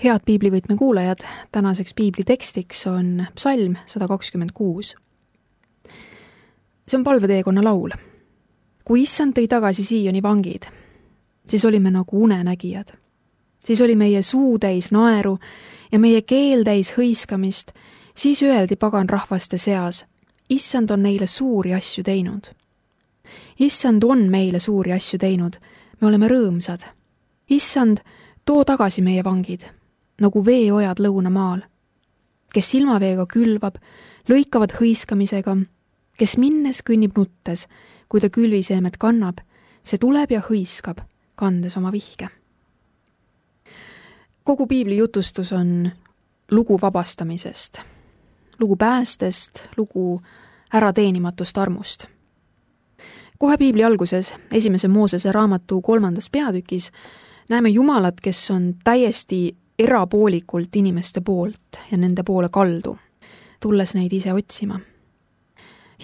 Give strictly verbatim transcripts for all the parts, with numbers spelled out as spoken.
Head piiblivõtme kuulajad, tänaseks piiblitekstiks on psalm sada kakskümmend kuus. See on palveteekonna laul. Kui issand tõi tagasi Sioni vangid, siis olime nagu unenägijad. Siis oli meie suu täis naeru ja meie keel täis hõiskamist, siis öeldi pagan rahvaste seas, issand on neile suuri asju teinud. Issand on meile suuri asju teinud, me oleme rõõmsad. Issand, too tagasi meie vangid, nagu veeojad lõunamaal, kes silmaveega külvab, lõikavad hõiskamisega, kes minnes kõnnib nuttes, kui ta külviseemet kannab, see tuleb ja hõiskab, kandes oma vihke. Kogu piibli jutustus on lugu vabastamisest, lugu päästest, lugu ärateenimatust armust. Kohe piibli alguses, esimese Moosese raamatu kolmandas peatükis, näeme Jumalat, kes on täiesti erapoolikult inimeste poolt ja nende poole kaldu, tulles neid ise otsima.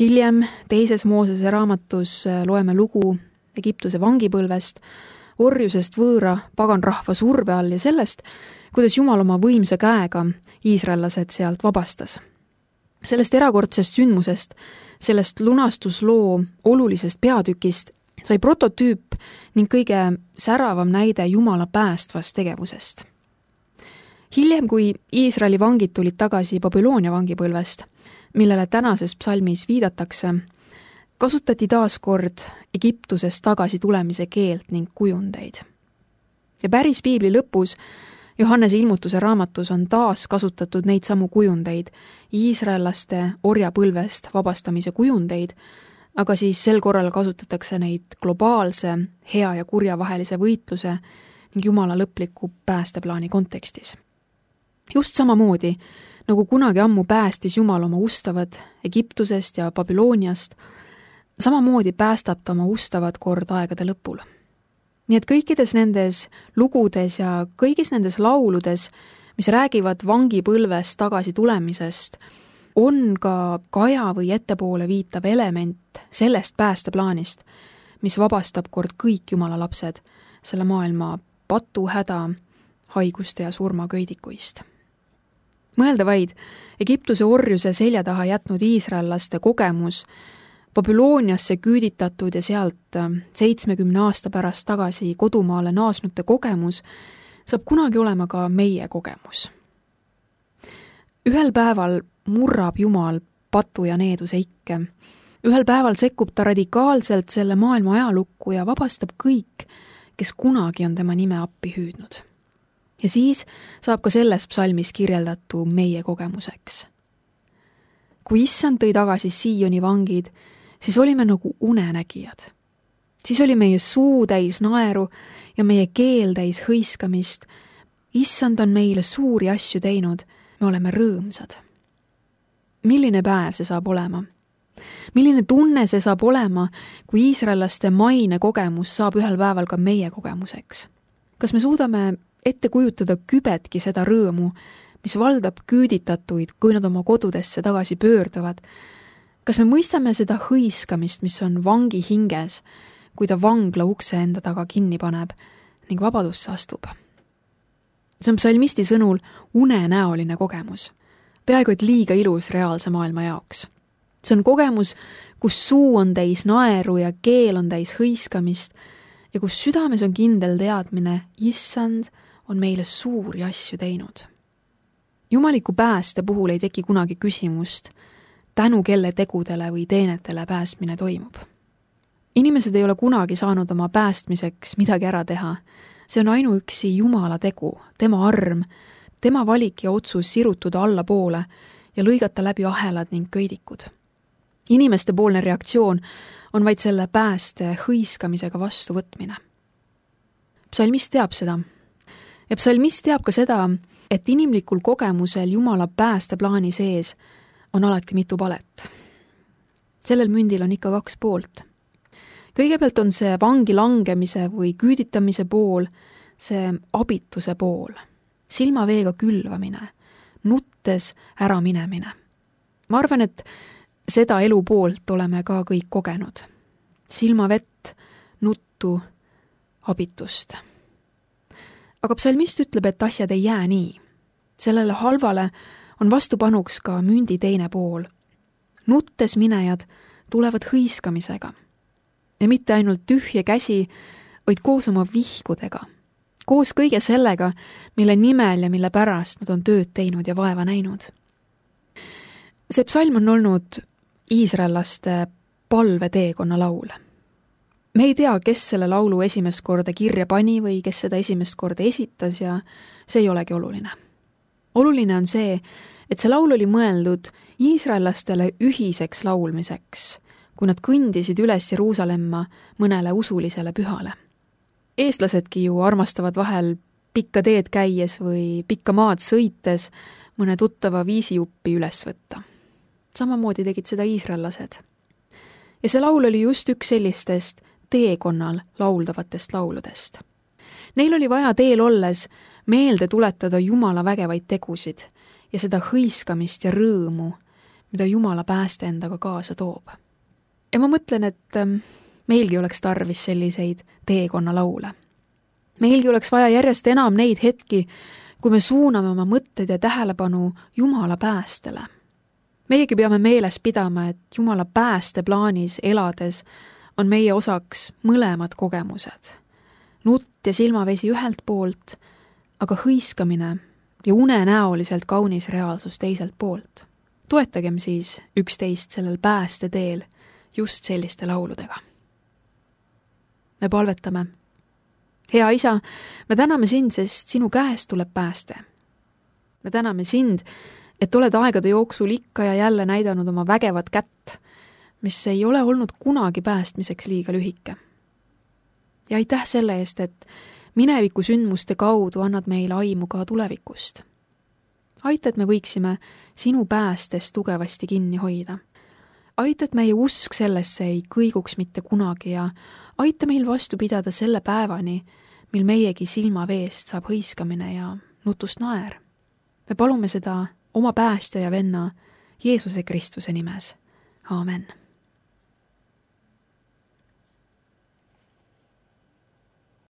Hiljem teises Moosese raamatus loeme lugu Egiptuse vangipõlvest, orjusest võõra paganrahva surve all ja sellest, kuidas Jumal oma võimsa käega iisraellased sealt vabastas. Sellest erakordsest sündmusest, sellest lunastusloo olulisest peatükist sai prototüüp ning kõige säravam näide Jumala päästvast tegevusest. Hiljem, kui Iisraeli vangid tulid tagasi Babyloonia vangipõlvest, millele tänases psalmis viidatakse, kasutati taas kord Egiptusest tagasi tulemise keelt ning kujundeid. Ja päris piibli lõpus, Johannese ilmutuse raamatus on taas kasutatud neid samu kujundeid, iisraellaste orjapõlvest vabastamise kujundeid, aga siis sel korral kasutatakse neid globaalse, hea ja kurja vahelise võitluse ning Jumala lõpliku päästeplaani kontekstis. Just samamoodi, nagu kunagi ammu päästis Jumal oma ustavad Egiptusest ja Babyloniast, samamoodi päästab ta oma ustavad kord aegade lõpul. Nii et kõikides nendes lugudes ja kõigis nendes lauludes, mis räägivad vangipõlvest tagasi tulemisest, on ka kaja või ettepoole viitav element sellest päästeplaanist, mis vabastab kord kõik Jumala lapsed selle maailma patuhäda, haiguste ja surmaköidikuist. Mõelda vaid, Egiptuse orjuse selja taha jätnud iisraellaste kogemus, Babyloniasse küüditatud ja sealt seitsmekümne aasta pärast tagasi kodumaale naasnute kogemus saab kunagi olema ka meie kogemus. Ühel päeval murrab Jumal patu ja needuse ikke. Ühel päeval sekkub ta radikaalselt selle maailma ajalukku ja vabastab kõik, kes kunagi on tema nime appi hüüdnud. Ja siis saab ka selles psalmis kirjeldatu meie kogemuseks. Kui issand tõi tagasi Sioni vangid, siis olime nagu unenägijad. Siis oli meie suu täis naeru ja meie keel täis hõiskamist. Issand on meile suuri asju teinud, me oleme rõõmsad. Milline päev see saab olema? Milline tunne see saab olema, kui iisraellaste maine kogemus saab ühel päeval ka meie kogemuseks? Kas me suudame ette kujutada kübetki seda rõõmu, mis valdab küüditatuid, kui nad oma kodudesse tagasi pöörduvad? Kas me mõistame seda hõiskamist, mis on vangi hinges, kui ta vangla ukse enda taga kinni paneb ning vabadusse astub? See on psalmisti sõnul unenäoline kogemus, peaaegu et liiga ilus reaalse maailma jaoks. See on kogemus, kus suu on täis naeru ja keel on täis hõiskamist ja kus südames on kindel teadmine, issand on meile suuri asju teinud. Jumaliku pääste puhul ei teki kunagi küsimust, tänu kelle tegudele või teenetele päästmine toimub. Inimesed ei ole kunagi saanud oma päästmiseks midagi ära teha. See on ainuüksi Jumala tegu, tema arm, tema valik ja otsus sirutuda allapoole ja lõigata läbi ahelad ning köidikud. Inimeste poolne reaktsioon on vaid selle pääste hõiskamisega vastuvõtmine. Psalmist teab seda. Ja psalmist teab ka seda, et inimlikul kogemusel Jumala päästeplaani sees on alati mitu palet. Sellel mündil on ikka kaks poolt. Kõigepealt on see vangi langemise või küüditamise pool, see abituse pool, silmaveega külvamine, nuttes ära minemine. Ma arvan, et seda elu poolt oleme ka kõik kogenud. Silmavett, nuttu, abitust. aga psalmist ütleb, et asjad ei jää nii. Sellele halvale on vastupanuks ka mündi teine pool. Nuttes minejad tulevad hõiskamisega. Ja mitte ainult tühje käsi, vaid koos oma vihkudega. Koos kõige sellega, mille nimel ja mille pärast nad on tööd teinud ja vaeva näinud. See psalm on olnud iisraellaste palveteekonna laul. Me ei tea, kes selle laulu esimest korda kirja pani või kes seda esimest korda esitas ja see ei olegi oluline. Oluline on see, et see laul oli mõeldud iisraellastele ühiseks laulmiseks, kui nad kõndisid üles Jeruusalemma mõnele usulisele pühale. Eestlasedki ju armastavad vahel pikka teed käies või pikka maad sõites mõne tuttava viisijuppi üles võtta. Samamoodi tegid seda iisraellased. Ja see laul oli just üks sellistest teekonnal lauldavatest lauludest. Neil oli vaja teel olles meelde tuletada Jumala vägevaid tegusid ja seda hõiskamist ja rõõmu, mida Jumala pääste endaga kaasa toob. Ja ma mõtlen, et meilgi oleks tarvis selliseid teekonna laule. Meilgi oleks vaja järjest enam neid hetki, kui me suuname oma mõtted ja tähelepanu Jumala päästele. Meiegi peame meeles pidama, et Jumala pääste plaanis elades on meie osaks mõlemad kogemused. Nutt ja silmavesi ühelt poolt, aga hõiskamine ja unenäoliselt kaunis reaalsus teiselt poolt. Toetagem siis üksteist sellel pääste teel just selliste lauludega. Me palvetame. Hea Isa, me täname sind, sest sinu käest tuleb pääste. Me täname sind, et oled aegade jooksul ikka ja jälle näidanud oma vägevat kätt, mis ei ole olnud kunagi päästmiseks liiga lühike. Ja aitäh selle eest, et mineviku sündmuste kaudu annad meile aimu ka tulevikust. Aita, et me võiksime sinu päästest tugevasti kinni hoida. Aita, et meie usk sellesse ei kõiguks mitte kunagi ja aita meil vastu pidada selle päevani, mil meiegi silmaveest saab hõiskamine ja nutust naer. Me palume seda oma päästja ja venna Jeesuse Kristuse nimes. Aamen.